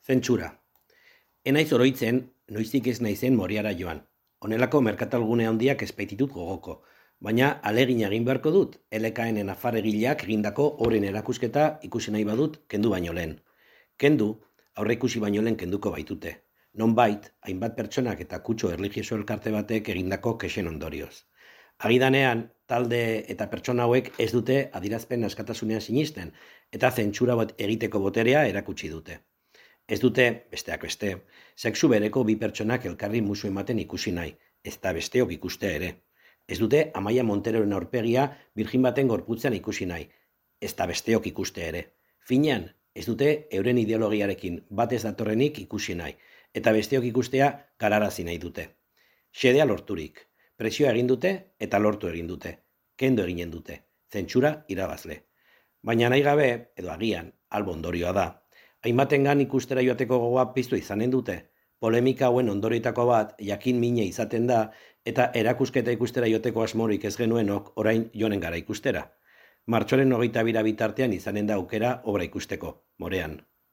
Zentsura. Enaiz oroitzen, noiztik ez naizen Moriara joan. Honelako merkatalgune handiak ez baititut gogoko, baina alegin egin beharko dut, LKN nafarregileak egindako oren erakusketa ikusi nahi badut kendu baino lehen. Kendu, aurre ikusi baino lehen kenduko baitute. Nonbait, hainbat pertsonak eta kutxo erlijioso elkarte batek egindako kexen ondorioz. Agidanean, talde eta pertsona hauek ez dute adierazpen askatasunean sinisten, eta zentsura bat egiteko boterea erakutsi dute. Ez dute, besteak beste, sexu bereko bi pertsonak elkarri musu ematen ikusi nahi, ez da besteok ikustea ere. Ez dute Amaia Monteroren aurpegia birjin baten gorputzen ikusi nahi, ez da besteok ikustea ere. Finean, ez dute euren ideologiarekin bat ez datorrenik ikusi nahi, eta besteok ikustea gararazi nahi dute. Xedea lorturik, presioa egin dute eta lortu egin dute, kendo eginen dute, zentsura irabazle. Baina nahi gabe, edo agian, albo ondorioa da, hainbatengan ikustera joateko gogoa piztu izanen dute, polemika hauen ondorioetako bat jakin mine izaten da eta erakusketa ikustera joateko asmorik ez genuenok orain joanen gara ikustera. Martxoaren 22 bitartean izanen da aukera obra ikusteko, Morean.